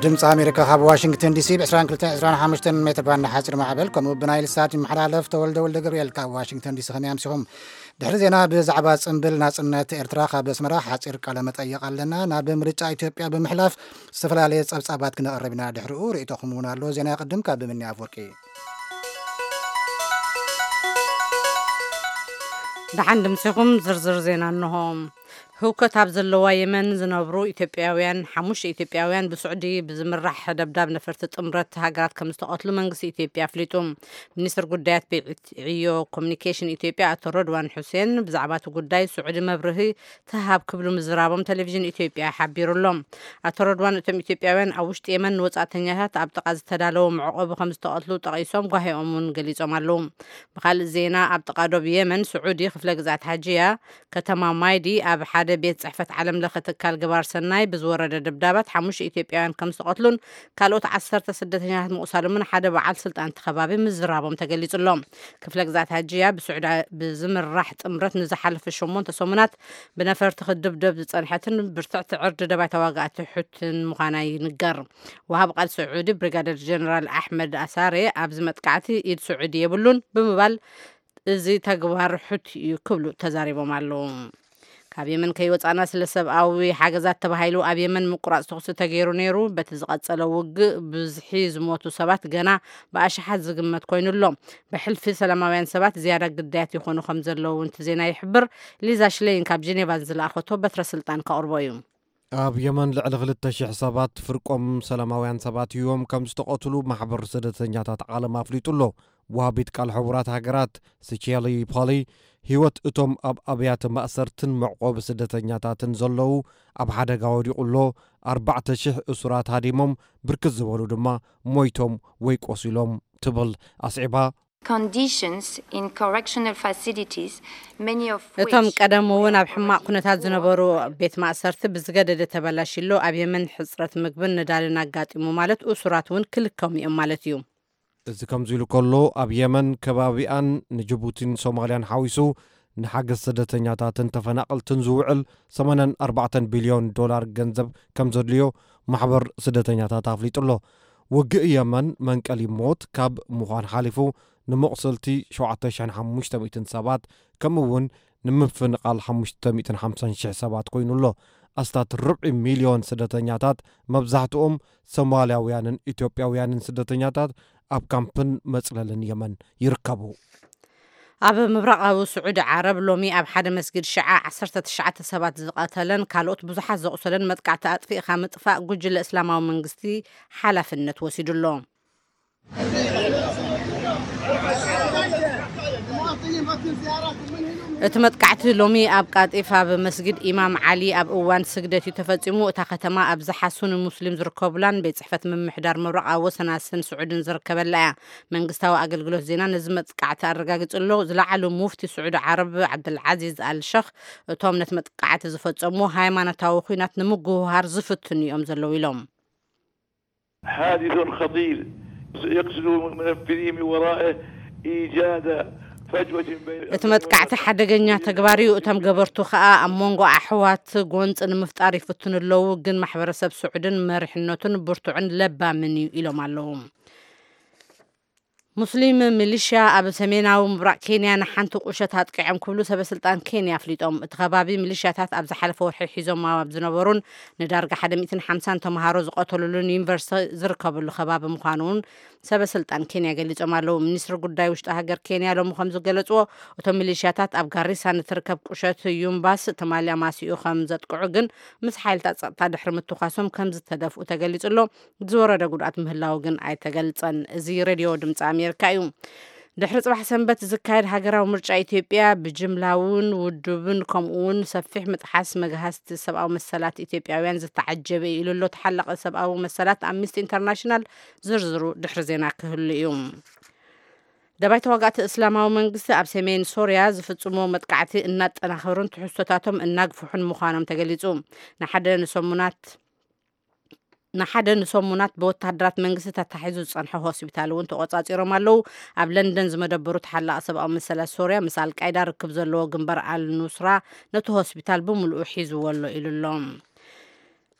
ድምፂ ኣሜሪካ ካብ ዋሽንግተን ዲሲ ብ ዕስራን ክልተን ዕስራን ሓሙሽተን ሜትር ባንድ ሓፂር ማዕበል፣ ከምኡ ብናይል ሳት ይመሓላለፍ። ተወልደ ወልደ ገብርኤል ካብ ዋሽንግተን ዲሲ፣ ከመይ ኣምሲኹም? ድሕሪ ዜና ብዛዕባ ጽምብል ናጽነት ኤርትራ ካብ ኣስመራ ሓጺር ቃለ መጠይቕ ኣለና። ናብ ምርጫ ኢትዮጵያ ብምሕላፍ ዝተፈላለየ ጸብጻባት ክነቕርብ ኢና። ድሕሪኡ ርእይቶኹም እውን ኣሎ። ዜና ይቕድም። ካብ ብምኒ ኣፍወርቂ። ደሓን ድምሲኹም። ዝርዝር ዜና እንሆ። ህውከት ኣብ ዘለዋ የመን ዝነብሩ ኢትዮጵያውያን፣ ሓሙሽተ ኢትዮጵያውያን ብስዑዲ ብዝምራሕ ደብዳብ ነፈርቲ ጥምረት ሃገራት ከም ዝተቐትሉ መንግስቲ ኢትዮጵያ ኣፍሊጡ። ሚኒስትር ጉዳያት ብይዒ ዕዮ ኮሚኒኬሽን ኢትዮጵያ ኣቶ ረድዋን ሑሴን ብዛዕባ እቲ ጉዳይ ስዑዲ መብርሂ ትሃብ ክብሉ ምዝራቦም ቴሌቪዥን ኢትዮጵያ ሓቢሩ ኣሎ። ኣቶ ረድዋን እቶም ኢትዮጵያውያን ኣብ ውሽጢ የመን ንወጻእተኛታት ኣብ ጥቓ ዝተዳለወ መዕቆቢ ከም ዝተቐትሉ ጠቒሶም ጓሂኦም እውን ገሊጾም ኣለዉ። ብኻልእ ዜና ኣብ ጥቓ ዶብ የመን ስዑዲ ክፍለ ግዝኣት ሃጂያ ከተማ ማይዲ ኣብ ሓደ ቤት ጽሕፈት ዓለም ለኸ ትካል ገባር ሰናይ ብዝወረደ ደብዳባት ሓሙሽተ ኢትዮጵያውያን ከም ዝተቐትሉን ካልኦት ዓሰርተ ስደተኛታት ምቑሳሎምን ሓደ በዓል ስልጣን እቲ ከባቢ ምዝራቦም ተገሊጹ ኣሎ። ክፍለ ግዝኣት ሃጂያ ብስዑዲ ብዝምራሕ ጥምረት ንዝሓለፈ ሸሞንተ ሰሙናት ብነፈርቲ ክድብደብ ዝጸንሐትን ብርትዕቲ ዕርዲ ደባይ ተዋጋእቲ ሑትን ምዃና ይንገር። ወሃብ ቃል ስዑዲ ብሪጋደር ጀነራል ኣሕመድ ኣሳሬ ኣብዚ መጥቃዕቲ ኢድ ስዑዲ የብሉን ብምባል እዚ ተግባር ሑቲ እዩ ክብሉ ተዛሪቦም ኣለዉ። ካብ የመን ከይወጻና ስለ ሰብኣዊ ሓገዛት ተባሂሉ ኣብ የመን ምቁራጽ ተኹሲ ተገይሩ ነይሩ። በቲ ዝቐጸለ ውግእ ብዝሒ ዝሞቱ ሰባት ገና ብኣሽሓት ዝግመት ኮይኑ ኣሎ። ብሕልፊ ሰላማውያን ሰባት ዝያዳ ግዳያት ይኾኑ ከም ዘለዉ እውን እቲ ዜና ይሕብር። ሊዛ ሽሌይን ካብ ጀኔቫ ዝለኣኸቶ በትረ ስልጣን ከቕርቦ እዩ። ኣብ የመን ልዕሊ ክልተ ሽሕ ሰባት ፍርቆም ሰላማውያን ሰባት ህይወም ከም ዝተቐትሉ ማሕበር ስደተኛታት ዓለም ኣፍሊጡ ኣሎ። ወሃቢት ቃል ሕቡራት ሃገራት ስቼሊ ፖሊ፣ ህይወት እቶም ኣብ ኣብያተ ማእሰርትን መዕቆቢ ስደተኛታትን ዘለዉ ኣብ ሓደጋ ወዲቑ ኣሎ፣ ኣርባዕተ ሽሕ እሱራት ሃዲሞም፣ ብርክት ዝበሉ ድማ ሞይቶም ወይ ቆሲሎም ትብል ኣስዒባ። Conditions in correctional facilities, many of እቶም which ቀደም እውን ኣብ ሕማቕ ኩነታት ዝነበሩ ቤት ማእሰርቲ ብዝገደደ ተበላሽሎ፣ ኣብ የመን ሕጽረት ምግብን ነዳድን ኣጋጢሙ ማለት እሱራት እውን ክልከሙ እዮም ማለት እዩ። እዚ ከምዚ ኢሉ ከሎ፣ ኣብ የመን ከባቢኣን ንጅቡቲን ሶማልያን ሓዊሱ ንሓገዝ ስደተኛታትን ተፈናቐልትን ዝውዕል ሰማንያን ኣርባዕተን ቢልዮን ዶላር ገንዘብ ከም ዘድልዮ ማሕበር ስደተኛታት ኣፍሊጡ ኣሎ። ውግእ የመን መንቀሊ ሞት ካብ ምዃን ሓሊፉ ንመቑሰልቲ ሸውዓተ ሽሕን ሓሙሽተ ሚእትን ሰባት ከምኡ እውን ንምፍንቓል ሓሙሽተ ሚእትን ሓምሳን ሽሕ ሰባት ኮይኑ ኣሎ። ኣስታት ርብዒ ሚልዮን ስደተኛታት፣ መብዛሕትኦም ሶማልያውያንን ኢትዮጵያውያንን ስደተኛታት ኣብ ካምፕን መጽለልን የመን ይርከቡ። ኣብ ምብራቓዊ ስዑዲ ዓረብ ሎሚ ኣብ ሓደ መስጊድ ሽዓ ዓሰርተ ትሽዓተ ሰባት ዝቐተለን ካልኦት ብዙሓት ዘቑሰለን መጥቃዕቲ ኣጥፊእኻ ምጥፋእ ጉጅለ እስላማዊ መንግስቲ ሓላፍነት ወሲዱ ኣሎ። እቲ መጥቃዕቲ ሎሚ ኣብ ቃጢፍ ኣብ መስጊድ ኢማም ዓሊ ኣብ እዋን ስግደት እዩ ተፈጺሙ። እታ ከተማ ኣብዝሓ ሱኒ ሙስሊም ዝርከቡላን ቤት ጽሕፈት ምምሕዳር ምብራቕ ኣብ ወሰናስን ስዑድን ዝርከበላ እያ። መንግስታዊ ኣገልግሎት ዜና ነዚ መጥቃዕቲ ኣረጋጊጹ ኣሎ። ዝለዓሉ ሙፍቲ ስዑዲ ዓረብ ዓብደልዓዚዝ ኣል ሸኽ እቶም ነቲ መጥቃዕቲ ዝፈጸሙ ሃይማኖታዊ ኲናት ንምጉህሃር ዝፍትኑ እዮም ዘለዉ ኢሎም። حادث خطير يقصد منفذيه من ورائه إيجاد فجوة بين እቲ መጥቃዕቲ ሓደገኛ ተግባር እዩ። እቶም ገበርቱ ከኣ ኣብ መንጎ ኣሕዋት ጎንፂ ንምፍጣር ይፍትኑ ኣለዉ፣ ግን ማሕበረሰብ ስዑድን መሪሕነቱን ብርቱዕን ለባምን እዩ ኢሎም ኣለዉ። ሙስሊም ሚሊሽያ ኣብ ሰሜናዊ ምብራቕ ኬንያ ንሓንቲ ቁሸት ኣጥቂዖም ክብሉ ሰበ ስልጣን ኬንያ ኣፍሊጦም። እቲ ከባቢ ሚሊሽያታት ኣብ ዝሓለፈ ወርሒ ሒዞም ኣብ ዝነበሩን ንዳርጋ ሓደ ሚእትን ሓምሳን ተምሃሮ ዝቐተሉሉን ዩኒቨርሲቲ ዝርከበሉ ከባቢ ምዃኑ እውን ሰበ ስልጣን ኬንያ ገሊጾም ኣለዉ። ሚኒስትሪ ጉዳይ ውሽጢ ሃገር ኬንያ ሎሚ ከም ዝገለጽዎ፣ እቶም ሚሊሽያታት ኣብ ጋሪሳ ንትርከብ ቁሸት ዩምባስ ትማሊ ኣማሲኡ ከም ዘጥቅዑ ግን ምስ ሓይልታት ጸጥታ ድሕሪ ምትኳሶም ከም ዝተደፍኡ ተገሊጹ ኣሎ። ዝወረደ ጉድኣት ምህላው ግን ኣይተገልጸን። እዚ ሬድዮ ድምፂ ኣሜሪካ እዩ። ድሕሪ ጽባሕ ሰንበት ዝካየድ ሃገራዊ ምርጫ ኢትዮጵያ ብጅምላውን ውዱብን ከምኡውን ሰፊሕ ምጥሓስ መግሃስቲ ሰብኣዊ መሰላት ኢትዮጵያውያን ዝተዓጀበ እዩ ኢሉ ኣሎ ተሓላቒ ሰብኣዊ መሰላት ኣምኒስቲ ኢንተርናሽናል። ዝርዝሩ ድሕሪ ዜና ክህሉ እዩ። ደባይ ተዋጋእቲ እስላማዊ መንግስቲ ኣብ ሰሜን ሶርያ ዝፍጽሞ መጥቃዕቲ እናጠናኸሩን ትሕዝቶታቶም እናግፍሑን ምዃኖም ተገሊጹ። ንሓደ ንሰሙናት ንሓደ ንሰሙናት ብወተሃደራት መንግስቲ ተታሒዙ ዝጸንሐ ሆስፒታል እውን ተቖጻጺሮም ኣለዉ። ኣብ ለንደን ዝመደበሩ ተሓላቒ ሰብኣዊ መሰላት ሶርያ ምስ ኣልቃይዳ ርክብ ዘለዎ ግንባር ኣልኑስራ ነቲ ሆስፒታል ብምሉኡ ሒዝዎ ኣሎ ኢሉ ኣሎ።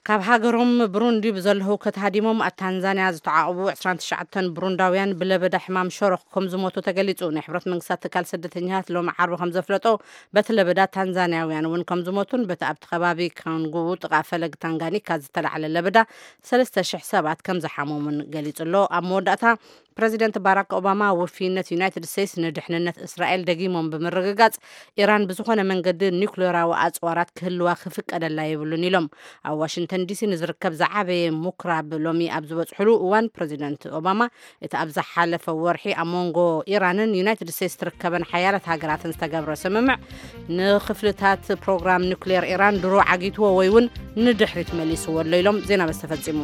ካብ ሃገሮም ብሩንዲ ብዘሎ ህውከት ሃዲሞም ኣብ ታንዛንያ ዝተዓቑቡ ዕስራን ትሽዓተን ብሩንዳውያን ብለበዳ ሕማም ሸሮኽ ከም ዝሞቱ ተገሊጹ። ናይ ሕብረት መንግስታት ትካል ስደተኛታት ሎሚ ዓርቢ ከም ዘፍለጦ፣ በቲ ለበዳ ታንዛንያውያን እውን ከም ዝሞቱን በቲ ኣብቲ ከባቢ ካንጉ ጥቓ ፈለግ ታንጋኒካ ዝተላዕለ ለበዳ ሰለስተ ሽሕ ሰባት ከም ዝሓመሙን ገሊጹ ኣሎ። ኣብ መወዳእታ ፕረዚደንት ባራክ ኦባማ ውፍይነት ዩናይትድ ስቴትስ ንድሕንነት እስራኤል ደጊሞም ብምርግጋጽ፣ ኢራን ብዝኾነ መንገዲ ኒኩሌራዊ ኣጽዋራት ክህልዋ ክፍቀደላ የብሉን ኢሎም። ኣብ ዋሽንግተን ዲሲ ንዝርከብ ዝዓበየ ምኩራብ ሎሚ ኣብ ዝበጽሕሉ እዋን ፕረዚደንት ኦባማ እቲ ኣብ ዝሓለፈ ወርሒ ኣብ መንጎ ኢራንን ዩናይትድ ስቴትስ ትርከበን ሓያላት ሃገራትን ዝተገብረ ስምምዕ ንክፍልታት ፕሮግራም ኒኩሌር ኢራን ድሮ ዓጊትዎ ወይ እውን ንድሕሪት መሊስዎ ኣሎ ኢሎም። ዜና በዚ ተፈጺሙ።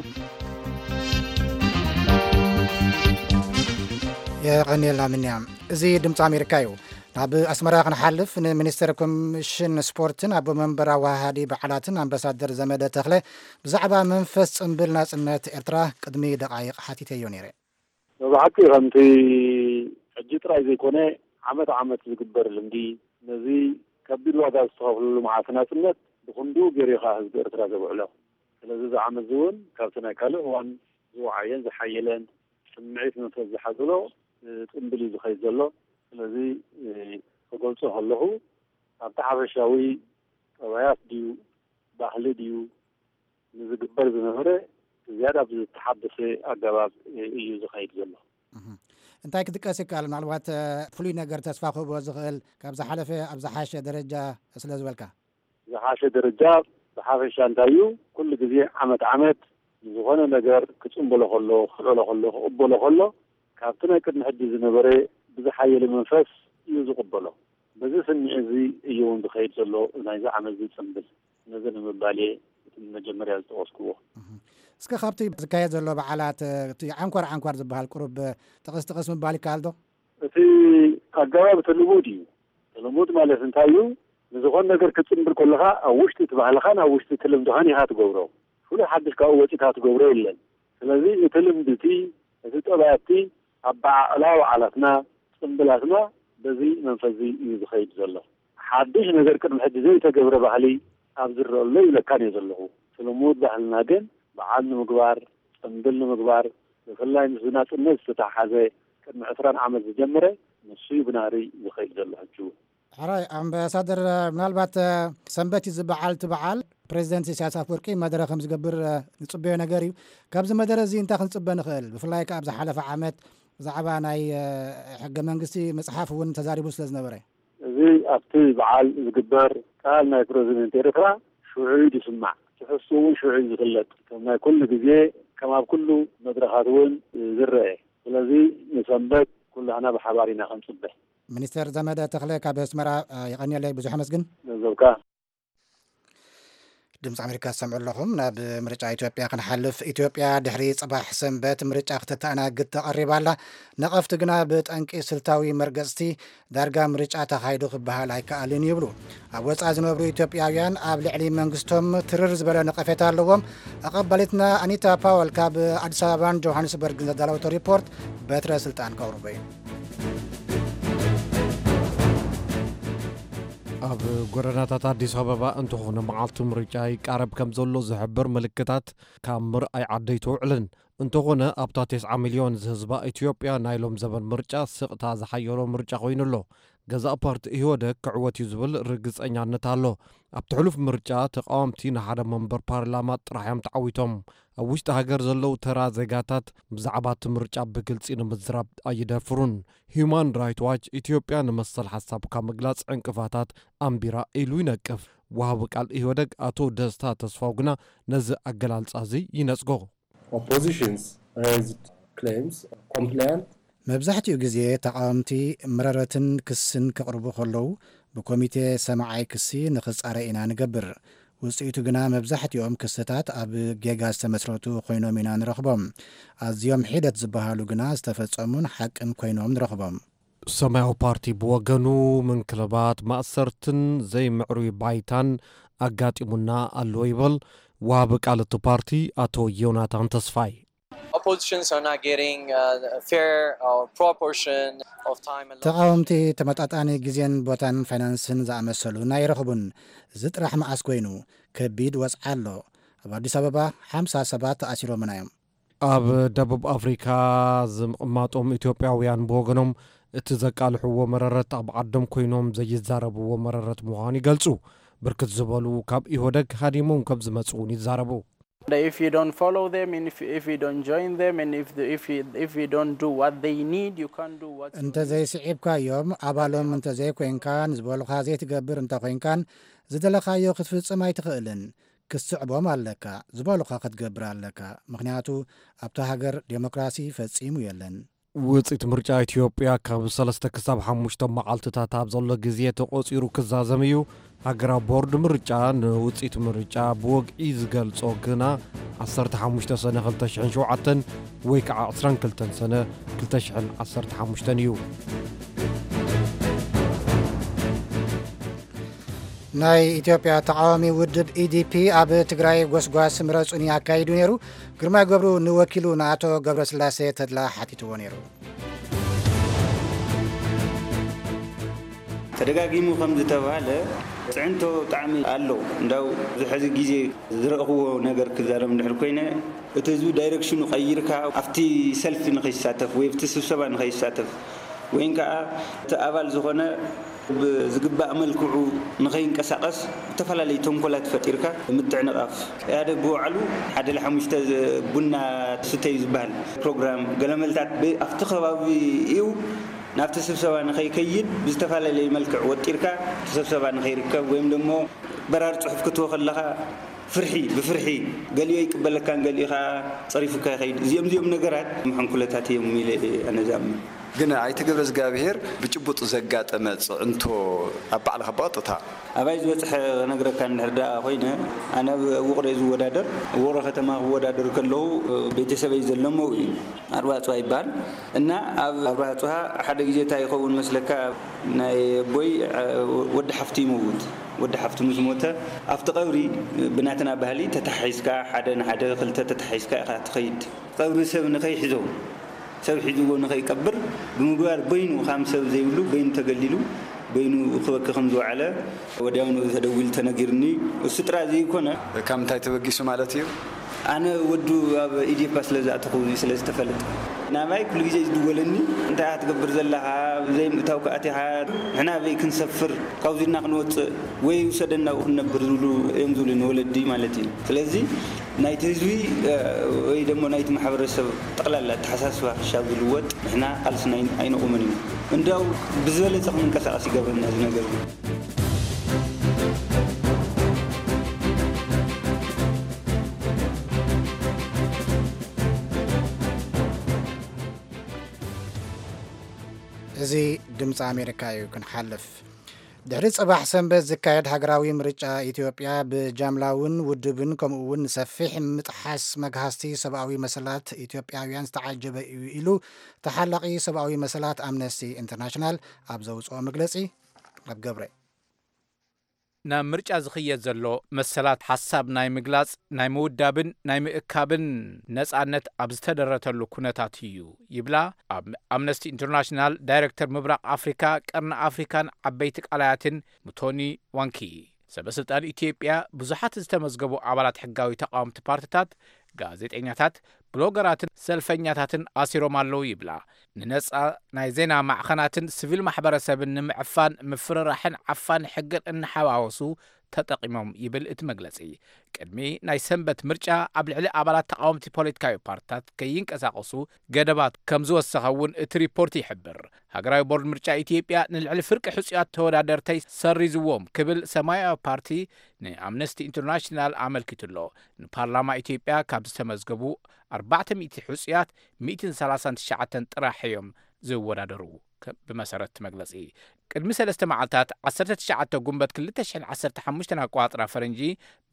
የቐንየልና ምንያ። እዚ ድምፂ ኣሜሪካ እዩ። ናብ ኣስመራ ክንሓልፍ፣ ንሚኒስትር ኮሚሽን ስፖርትን ኣቦ መንበር ኣወሃሃዲ በዓላትን ኣምባሳደር ዘመደ ተኽለ ብዛዕባ መንፈስ ጽምብል ናጽነት ኤርትራ ቅድሚ ደቓይቕ ሓቲተዮ ነይረ። ብሓቂ ከምቲ ሕጂ ጥራይ ዘይኮነ ዓመት ዓመት ዝግበር ልምዲ፣ ነዚ ከቢድ ዋጋ ዝተኸፍለሉ መዓልቲ ናጽነት ብኽንድኡ ገይሩ እዩ ከኣ ህዝቢ ኤርትራ ዘብዕሎ። ስለዚ እዚ ዓመት እዚ እውን ካብቲ ናይ ካልእ እዋን ዝወዓየን ዝሓየለን ስምዒት መንፈስ ዝሓዘሎ፣ እ፣ ጽምብል እዩ ዝኸይድ ዘሎ። ስለዚ፣ እ፣ ክገልጾ ከለኹ ኣብቲ ሓፈሻዊ ጠባያት ድዩ፣ ባህሊ ድዩ፣ ንዝግበር ዝነበረ ዝያዳ ብዝተሓደሰ ኣገባብ፣ እ፣ እዩ ዝኸይድ ዘሎ። እህ። እንታይ ክጥቀስ ይከኣል? ምናልባት፣ እ፣ ፍሉይ ነገር ተስፋ ክህቦ ዝኽእል ካብ ዝሓለፈ ኣብ ዝሓሸ ደረጃ ስለ ዝበልካ። ዝሓሸ ደረጃ ብሓፈሻ እንታይ እዩ? ኩሉ ግዜ ዓመት ዓመት ንዝኾነ ነገር ክጽንበሎ ከሎ፣ ክልዕሎ ከሎ፣ ክቕበሎ ከሎ፣ ካብቲ ናይ ቅድሚ ሕጂ ዝነበረ ብዝሓየለ መንፈስ እዩ ዝቕበሎ። በዚ ስምዒት እዚ እዩ እውን ዝኸይድ ዘሎ ናይዚ ዓመት እዚ ጽምብል። ነዚ ንምባል እየ እቲ መጀመርያ ዝጠቐስክዎ። እህ። እስከ ካብቲ ዝካየድ ዘሎ በዓላት፣ እቲ ዓንኳር ዓንኳር ዝበሃል ቁሩብ ጥቕስ ጥቕስ ምባል ይከኣል ዶ? እቲ ኣገባብ እቲ ልሙድ እዩ። እቲ ልሙድ ማለት እንታይ እዩ? ንዝኾነ ነገር ክትጽምብል ከለኻ ኣብ ውሽጢ እቲ ባህልኻን ኣብ ውሽጢ እቲ ልምድኻን ኢኻ ትገብሮ። ፍሉይ ሓድሽ ካብኡ ወጺእካ ትገብሮ የለን። ስለዚ እቲ ልምዲ እቲ፣ እቲ ጠባይ እቲ ኣበዓዕላ በዓላትና፣ ጽምብላትና በዚ መንፈስ እዚ እዩ ዝኸይድ ዘሎ። ሓድሽ ነገር ቅድሚ ሕጂ ዘይተገብረ ባህሊ ኣብ ዝረአሎ ይብለካን እየ ዘለኹ። እቲ ልሙድ ባህልና ግን በዓል ንምግባር፣ ጽምብል ንምግባር፣ ብፍላይ ምስ ናጽነት ዝተተሓሓዘ ቅድሚ ዕስራን ዓመት ዝጀመረ ንሱ እዩ ብናህሪ ዝኸይድ ዘሎ ሕጂ እውን። ሕራይ ኣምባሳደር፣ ምናልባት፣ እ፣ ሰንበት እዩ ዝበዓል እቲ በዓል። ፕሬዚደንት ኢሳያስ ኣፈወርቂ መደረ ከም ዝገብር፣ እ፣ ንጽበዮ ነገር እዩ። ካብዚ መደረ እዚ እንታይ ክንጽበ ንኽእል? ብፍላይ ከኣ ኣብ ዝሓለፈ ዓመት ብዛዕባ ናይ፣ እ፣ ሕገ መንግስቲ ምጽሓፍ እውን ተዛሪቡ ስለ ዝነበረ። እዚ ኣብቲ በዓል ዝግበር ቃል ናይ ፕረዚደንት ኤርትራ ሽዑ እዩ ዝስማዕ። ትሕዝትኡ እውን ሽዑ እዩ ዝፍለጥ። ከም ናይ ኩሉ ግዜ፣ ከም ኣብ ኩሉ መድረኻት እውን ዝረአ። ስለዚ ንሰንበት ኩላህና ብሓባር ኢና ክንጽበ። ሚኒስተር ዘመደ ተኽለ ካብ ኣስመራ፣ እ፣ የቐንየለይ፣ ብዙሕ ኣመስግን። ገንዘብካ። ድምፂ ኣሜሪካ ትሰምዑ ኣለኹም። ናብ ምርጫ ኢትዮጵያ ክንሓልፍ። ኢትዮጵያ ድሕሪ ጽባሕ ሰንበት ምርጫ ክትተኣናግድ ተቐሪባ ኣላ። ነቐፍቲ ግና ብጠንቂ ስልታዊ መርገጽቲ ዳርጋ ምርጫ ተኻይዱ ክበሃል ኣይከኣልን ይብሉ። ኣብ ወጻኢ ዝነብሩ ኢትዮጵያውያን ኣብ ልዕሊ መንግስቶም ትርር ዝበለ ነቐፌታ ኣለዎም። ኣቐባሊትና ኣኒታ ፓወል ካብ ኣዲስ ኣበባን ጆሃንስበርግን ዘዳለወቶ ሪፖርት በትረ ስልጣን ከቕርቦ እዩ። ኣብ ጎደናታት ኣዲስ ኣበባ እንተኾነ መዓልቲ ምርጫ ይቃረብ ከም ዘሎ ዝሕብር ምልክታት ካብ ምርኣይ ዓዲ ኣይተውዕልን። እንተኾነ ኣብታ ተስዓ ሚልዮን ዝህዝባ ኢትዮጵያ ናይ ሎም ዘበን ምርጫ ስቕታ ዝሓየሎ ምርጫ ኮይኑ ኣሎ። ገዛእ ፓርቲ ኢህወደግ ክዕወት እዩ ዝብል ርግጸኛነት ኣሎ። ኣብቲ ሕሉፍ ምርጫ ተቃወምቲ ንሓደ መንበር ፓርላማ ጥራሕ እዮም ተዓዊቶም። ኣብ ውሽጢ ሃገር ዘለዉ ተራ ዜጋታት ብዛዕባ እቲ ምርጫ ብግልጺ ንምዝራብ ኣይደፍሩን። ሂዩማን ራይት ዋች ኢትዮጵያ ንመሰል ሓሳብካ ምግላጽ ዕንቅፋታት ኣንቢራ ኢሉ ይነቅፍ። ወሃቢ ቃል ኢህወደግ ኣቶ ደስታ ተስፋው ግና ነዚ ኣገላልጻ እዚ ይነጽጎ። Oppositions raised claims compliant መብዛሕትኡ ግዜ ተቓወምቲ መረረትን ክስን ከቕርቡ ከለዉ ብኮሚቴ ሰማዓይ ክሲ ንኽጻረ ኢና ንገብር። ውጽኢቱ ግና መብዛሕትኦም ክስታት ኣብ ጌጋ ዝተመስረቱ ኮይኖም ኢና ንረኽቦም። ኣዝዮም ሒደት ዝበሃሉ ግና ዝተፈጸሙን ሓቅን ኮይኖም ንረኽቦም። ሰማያዊ ፓርቲ ብወገኑ ምንክልባት፣ ማእሰርትን ዘይምዕሩይ ባይታን ኣጋጢሙና ኣሎ ይበል። ዋሃቢ ቃል እቲ ፓርቲ ኣቶ ዮናታን ተስፋይ። Oppositions are not getting uh, a fair or proportion of time and ተቃወምቲ ተመጣጣኒ ግዜን ቦታን ፋይናንስን ዝኣመሰሉ ኣይረኽቡን። እዚ ጥራሕ መዓስ ኮይኑ? ከቢድ ወፅዓ ኣሎ። ኣብ ኣዲስ ኣበባ ሓምሳ ሰባት ተኣሲሮምና እዮም። ኣብ ደቡብ ኣፍሪካ ዝምቕማጦም ኢትዮጵያውያን ብወገኖም እቲ ዘቃልሕዎ መረረት ኣብ ዓዶም ኮይኖም ዘይዛረብዎ መረረት ምዃኑ ይገልጹ። ብርክት ዝበሉ ካብ ኢህወደግ ሃዲሞም ከም ዝመጹ እውን ይዛረቡ። If you don't follow them, and if, if you don't join them, and if, the, if, you, if you don't do what they need, you can't do what you need. እንተዘይስዒብካዮም፣ ኣባሎም እንተዘይኮይንካን ዝበሉኻ ዘይትገብር እንተኾይንካን ዝደለኻዮ ክትፍጽም ኣይትኽእልን። ክትስዕቦም ኣለካ። ዝበሉኻ ክትገብር ኣለካ። ምኽንያቱ ኣብታ ሃገር ዴሞክራሲ ፈጺሙ የለን። ውፅኢት ምርጫ ኢትዮጵያ ካብ ሰለስተ ክሳብ ሓሙሽተ መዓልትታት ኣብ ዘሎ ግዜ ተቖፂሩ ክዛዘም እዩ። ሃገራዊ ቦርድ ምርጫ ንውፅኢት ምርጫ ብወግዒ ዝገልጾ ግና ዓሰርተ ሓሙሽተ ሰነ ክልተ ሽሕን ሸውዓተን ወይ ከዓ ዕስራን ክልተን ሰነ ክልተ ሽሕን ዓሰርተ ሓሙሽተን እዩ። ናይ ኢትዮጵያ ተቃዋሚ ውድብ ኢዲፒ ኣብ ትግራይ ጎስጓስ ምረጹኒ ኣካይዱ ነይሩ። ግርማይ ገብሩ ንወኪሉ ንኣቶ ገብረስላሴ ተድላ ሓቲትዎ ነይሩ። ተደጋጊሙ ከም ዝተባህለ ፅዕንቶ ብጣዕሚ ኣሎ። እንዳው እዚ ሕዚ ግዜ ዝረእኽዎ ነገር ክዛረብ እንድሕር ኮይነ፣ እቲ ህዝቢ ዳይሬክሽኑ ቀይርካ ኣብቲ ሰልፊ ንኸይሳተፍ ወይ ኣብቲ ስብሰባ ንኸይሳተፍ ወይን ከዓ እቲ ኣባል ዝኾነ ብዝግባእ መልክዑ ንኸይንቀሳቐስ ዝተፈላለዩ ተንኮላት ፈጢርካ ምትዕንቓፍ። ኢህኣደግ ብባዕሉ ሓደ ለሓሙሽተ ቡና ትስተ እዩ ዝበሃል ፕሮግራም ገለመልታት ብ- ኣብቲ ከባቢ እዩ ናብቲ ስብሰባ ንኸይከይድ ብዝተፈላለየ መልክዕ ወጢርካ እቲ ስብሰባ ንኸይርከብ ወይም ደሞ በራር ፅሑፍ ክትቦ ከለኻ ፍርሒ ብፍርሒ ገሊኡ ኣይቅበለካን ገሊኡ ከዓ ፀሪፉካ ይኸይድ። እዚኦም እዚኦም ነገራት መሐንኩለታት እዮም ኢለ ኣነ ዝኣምን። ግን ኣይተ ገብረ እግዚኣብሔር ብጭቡጥ ዘጋጠመ ፅዕንቶ ኣብ ባዕልኻ ብቐጥታ ኣባይ ዝበፅሐ ክነግረካ እንድሕር ደኣ ኮይነ ኣነ ኣብ ውቕሮ እየ ዝወዳደር። ውቕሮ ከተማ ክወዳደር ከለዉ ቤተሰበይ ዘለሞ እዩ። ኣርባፅዋ ይበሃል እና ኣብ ኣርባፅዋ ሓደ ግዜ እንታይ ይኸውን መስለካ ናይ ኣቦይ ወዲ ሓፍቱ ይመውት። ወዲ ሓፍቱ ምስ ሞተ ኣብቲ ቀብሪ ብናትና ባህሊ ተተሓሒዝካ ሓደ ንሓደ ክልተ ተተሓሒዝካ ኢኻ ትኸይድ። ቀብሪ ሰብ ንኸይሕዞ ሰብ ሒዝዎ ንኸይቀብር ብምግባር በይኑ ካም ሰብ ዘይብሉ በይኑ ተገሊሉ በይኑ ክበኪ ከም ዝወዓለ ወዲያውኑ ተደዊሉ ተነጊርኒ። እሱ ጥራይ ዘይኮነ ካብ ምንታይ ተበጊሱ ማለት እዩ? ኣነ ወዱ ኣብ ኢዴፓ ስለ ዝኣተኹ ስለ ዝተፈለጠ ናባይ ኩሉ ግዜ ዝድወለኒ እንታይ ኢኻ ትገብር ዘለኻ ዘይምእታው ከኣቲኻ ንሕና ኣበይ ክንሰፍር ካብዚ ኢልና ክንወፅእ ወይ ውሰደና ኣብኡ ክንነብር ዝብሉ እዮም ዝብሉ ንወለዲ ማለት እዩ። ስለዚ ናይቲ ህዝቢ ወይ ደሞ ናይቲ ማሕበረሰብ ጠቕላላ ኣተሓሳስባ ክሻብ ዝልወጥ ንሕና ቃልስና ኣይነቑምን ኢና። እንዲያው ብዝበለፀ ክንንቀሳቐስ ይገብረና እዚ ነገር። እዚ ድምፂ ኣሜሪካ እዩ። ክንሓልፍ ድሕሪ ፅባሕ ሰንበት ዝካየድ ሃገራዊ ምርጫ ኢትዮጵያ ብጃምላውን ውድብን ከምኡ እውን ንሰፊሕ ምጥሓስ መግሃስቲ ሰብኣዊ መሰላት ኢትዮጵያውያን ዝተዓጀበ እዩ ኢሉ ተሓላቒ ሰብኣዊ መሰላት ኣምነስቲ ኢንተርናሽናል ኣብ ዘውፅኦ መግለፂ። ኣብ ገብረ ናብ ምርጫ ዝኽየድ ዘሎ መሰላት ሓሳብ ናይ ምግላጽ ናይ ምውዳብን ናይ ምእካብን ነጻነት ኣብ ዝተደረተሉ ኩነታት እዩ ይብላ ኣብ ኣምነስቲ ኢንተርናሽናል ዳይረክተር ምብራቕ ኣፍሪካ ቀርኒ ኣፍሪካን ዓበይቲ ቃላያትን ሙቶኒ ዋንኪ። ሰበ ስልጣን ኢትዮጵያ ብዙሓት ዝተመዝገቡ ኣባላት ሕጋዊ ተቃወምቲ ፓርትታት፣ ጋዜጠኛታት፣ ብሎገራትን ሰልፈኛታትን ኣሲሮም ኣለዉ ይብላ። ንነጻ ናይ ዜና ማዕኸናትን ስቪል ማሕበረሰብን ንምዕፋን ምፍርራሕን ዓፋኒ ሕግን እናሓዋወሱ ተጠቒሞም ይብል እቲ መግለጺ። ቅድሚ ናይ ሰንበት ምርጫ ኣብ ልዕሊ ኣባላት ተቓወምቲ ፖለቲካዊ ፓርትታት ከይንቀሳቐሱ ገደባት ከም ዝወሰኸ እውን እቲ ሪፖርት ይሕብር። ሃገራዊ ቦርድ ምርጫ ኢትዮጵያ ንልዕሊ ፍርቂ ሕጹያት ተወዳደርተይ ሰሪዝዎም ክብል ሰማያዊ ፓርቲ ንኣምነስቲ ኢንተርናሽናል ኣመልኪቱ ኣሎ። ንፓርላማ ኢትዮጵያ ካብ ዝተመዝገቡ ኣርባዕተ ሚእቲ ሕጹያት ሚእትን ሰላሳን ትሽዓተን ጥራሕ እዮም ዝወዳደሩ። ከ-፣ ብመሰረት እቲ መግለጺ። ቅድሚ ሰለስተ መዓልታት ዓሰርተ ትሽዓተ ጉንበት ክልተ ሽሕን ዓሰርተ ሓሙሽተን ኣቆጻጽራ ፈረንጂ፣